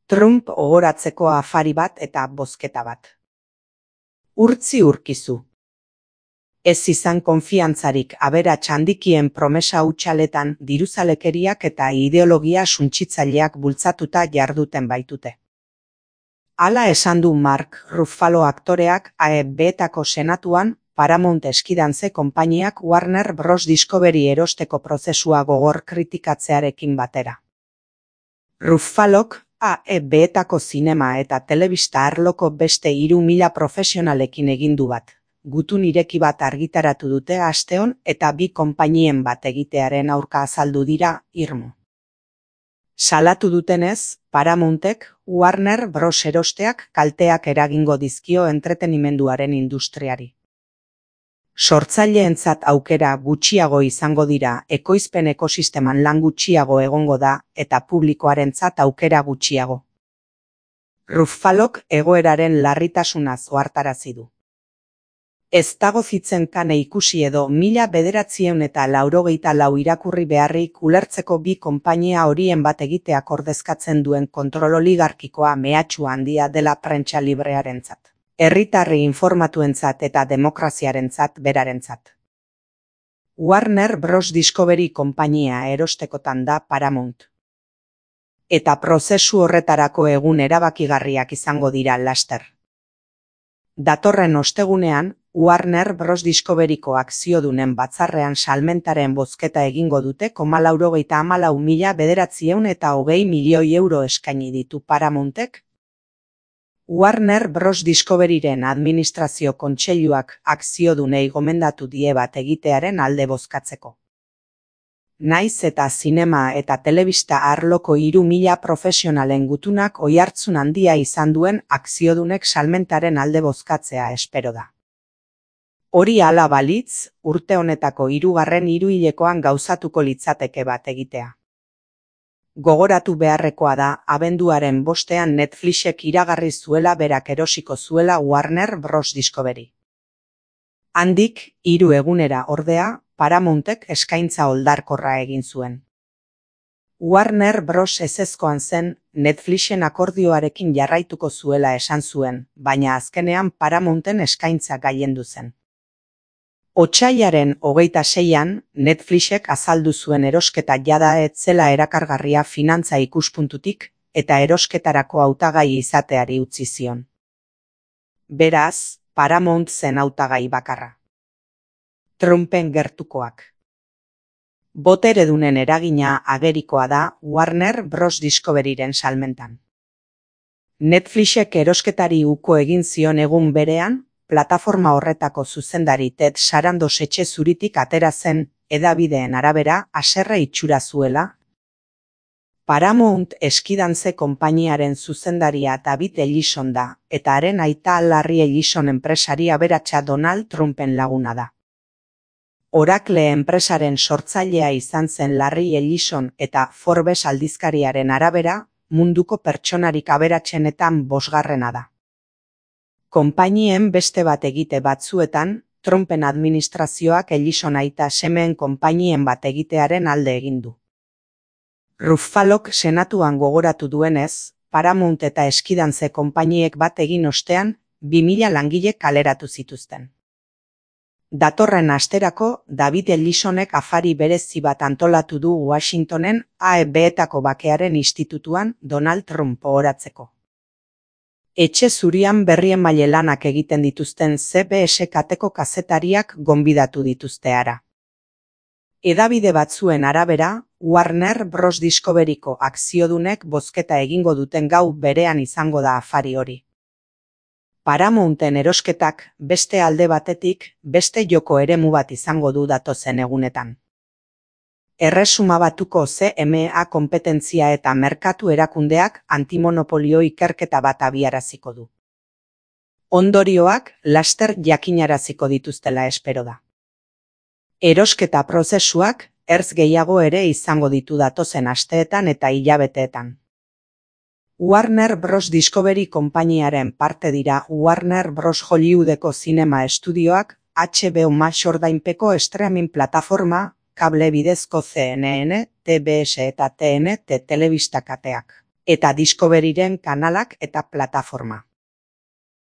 Trump ohoratzeko afari bat eta bozketa bat. Urtzi urkizu. Ez izan konfiantzarik aberats handikien promesa hutsaletan diruzalekeriak eta ideologia suntsitzaileak bultzatuta jarduten baitute. Hala esan du Mark Ruffalo aktoreak AFB-etako senatuan Paramount eskidantze konpainiak Warner Bros. Discovery erosteko prozesua gogor kritikatzearekin batera. Ruffalok AFB-etako zinema eta telebista arloko beste 3.000 profesionalekin egin du bat. Gutun ireki bat argitaratu dute asteon eta bi konpainien bat egitearen aurka azaldu dira irmo. Salatu dutenez, Paramountek Warner Bros. Erosteak kalteak eragingo dizkio entretenimenduaren industriari. Sortzaileentzat aukera gutxiago izango dira, ekoizpen ekosisteman lan gutxiago egongo da eta publikoarentzat aukera gutxiago. Ruffalok egoeraren larritasunaz ohartarazi du. Ez dago zitzen kane ikusi edo 1984 irakurri beharrik ulertzeko bi konpainia horien bat egiteak ordezkatzen duen kontrol oligarkikoa mehatxu handia dela prentsa librearentzat, herritarri informatuentzat eta demokraziarentzat berarentzat. Warner Bros. Discovery konpainia erostekotan da Paramount. Eta prozesu horretarako egun erabakigarriak izango dira laster. Datorren ostegunean, Warner Bros. Discoveryko akziodunen batzarrean salmentaren bozketa egingo dute 94.920 milioi euro eskaini ditu Paramountek. Warner Bros. Discoveryren administrazio kontseiluak akziodunei gomendatu die bat egitearen alde bozkatzeko. Naiz eta zinema eta telebista arloko 3.000 profesionalen gutunak oihartzun handia izan duen akziodunek salmentaren alde bozkatzea espero da. Hori hala balitz, urte honetako 3. hiruhilekoan gauzatuko litzateke bat egitea. Gogoratu beharrekoa da, abenduaren 5ean Netflixek iragarri zuela berak erosiko zuela Warner Bros. Discovery. Handik, 3 egunera ordea, Paramountek eskaintza oldarkorra egin zuen. Warner Bros. Ezezkoan zen, Netflixen akordioarekin jarraituko zuela esan zuen, baina azkenean Paramounten eskaintza gailendu zen. Otsailaren 26an, Netflixek azaldu zuen erosketa jada ez zela erakargarria finantza ikuspuntutik eta erosketarako hautagai izateari utzi zion. Beraz, Paramount zen hautagai bakarra. Trumpen gertukoak. Boteredunen eragina agerikoa da Warner Bros. Discoveryren salmentan. Netflixek erosketari uko egin zion egun berean, plataforma horretako zuzendari Ted Sarandos etxe zuritik atera zen, hedabideen arabera, haserre itxura zuela. Paramount eskidantze konpainiaren zuzendaria David Ellison da, eta haren aita Larry Ellison enpresari aberatsa Donald Trumpen laguna da. Oracle enpresaren sortzailea izan zen Larry Ellison eta Forbes aldizkariaren arabera, munduko pertsonarik aberatsenetan 5. da. Konpainien beste bat egite batzuetan, Trumpen administrazioak Ellison aita semeen konpainien bat egitearen alde egin du. Ruffalok senatuan gogoratu duenez, Paramount eta eskidantze konpainiek bat egin ostean, 2.000 langile kaleratu zituzten. Datorren asterako, David Ellisonek afari berezi bat antolatu du Washingtonen AFB-etako bakearen institutuan Donald Trump ohoratzeko. Etxe zurian berriemaile lanak egiten dituzten CBS kateko kazetariak gonbidatu dituzte hara. Hedabide batzuen arabera, Warner Bros. Discoveryko akziodunek bozketa egingo duten gau berean izango da afari hori. Paramounten erosketak beste alde batetik beste joko eremu bat izango du datozen egunetan. Erresuma Batuko CMA konpetentzia eta merkatu erakundeak antimonopolio ikerketa bat abiaraziko du. Ondorioak laster jakinaraziko dituztela espero da. Erosketa prozesuak ertz gehiago ere izango ditu datozen asteetan eta hilabeteetan. Warner Bros. Discovery konpainiaren parte dira Warner Bros. Hollywoodeko zinema estudioak, HBO Max ordainpeko streaming plataforma, kable bidezko CNN, TBS eta TNT telebista kateak. eta Discoveryren kanalak eta plataforma.